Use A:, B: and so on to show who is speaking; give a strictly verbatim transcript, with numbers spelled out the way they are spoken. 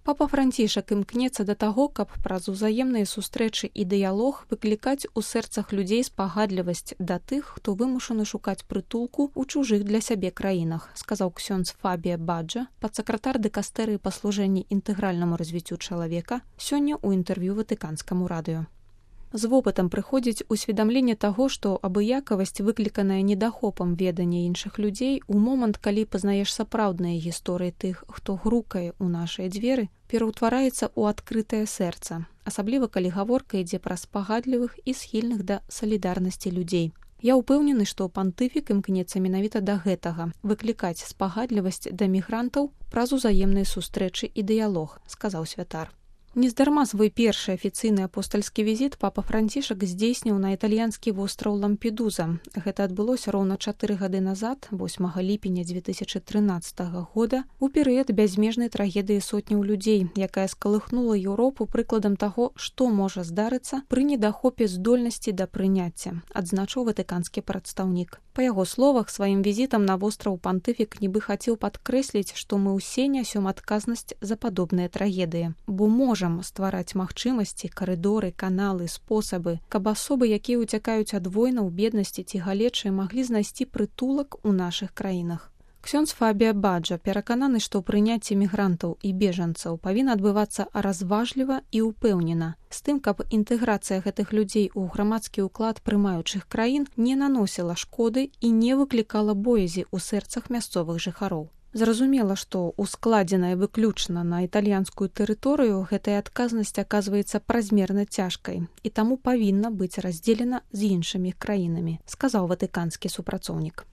A: Папа Францішак імкнецца да таго, каб праз узаемныя сустрэчы і дыялог выклікаць у сэрцах людзей спагадлівасць да тых, хто вымушаны шукаць прытулку ў чужых для сябе краінах, сказаў ксёндз Фабія Баджа, падсакратар дыкастэрыі па служэнні інтэгральнаму развіццю чалавека, сёння ў інтэрв'ю Ватыканскаму радыё. З вопытам прыходзіць усведамленне таго, што абыякавасць, выкліканая недахопам ведання іншых людзей, у момант, калі пазнаеш сапраўдныя гісторыі тых, хто грукае ў нашыя дзверы, пераўтвараецца ў адкрытае сэрца, асабліва калі гаворка ідзе пра спагадлівых і схільных да салідарнасці людзей. Я ўпэўнены, што пантыфік імкнецца менавіта да гэтага, выклікаць спагадлівасць да мігрантаў праз узаемныя сустрэчы і дыялог, сказаў святар. Нездарма свой першы афіцыйны апостальскі візіт папа Францішак здзейсніў на італьянскі востраў Лампедуза. Гэта адбылося роўна чатыры гады назад, восьмага ліпеня дзве тысячы трынаццатага года, у перыяд бязмежнай трагедыі сотняў людзей, якая скалыхнула Еўропу прыкладам таго, што можа здарыцца пры недахопе здольнасці да прыняцця, адзначыў ватыканскі прадстаўнік. Па яго словах, сваім візітам на востраў пантыфік нібы хацеў падкрэсліць, што мы ўсе нясём адказнасць за падобныя трагедыі, бо можам ствараць магчымасці, карыдоры, каналы, спосабы, каб асобы, якія ўцякаюць ад войнаў, беднасці ці галечы, маглі знайсці прытулак у нашых краінах. Ксёндз Фабія Баджа перакананы, што прыняцце мігрантаў і бежанцаў павінна адбывацца разважліва і ўпэўнена, з тым, каб інтэграцыя гэтых людзей у грамадскі ўклад прымаючых краін не наносіла шкоды і не выклікала боязі ў сэрцах мясцовых жыхароў. Зразумела, што ускладзеная выключна на італьянскую тэрыторыю, гэтая адказнасць аказваецца празмерна цяжкай і таму павінна быць раздзелена з іншымі краінамі, сказаў ватыканскі супрацоўнік.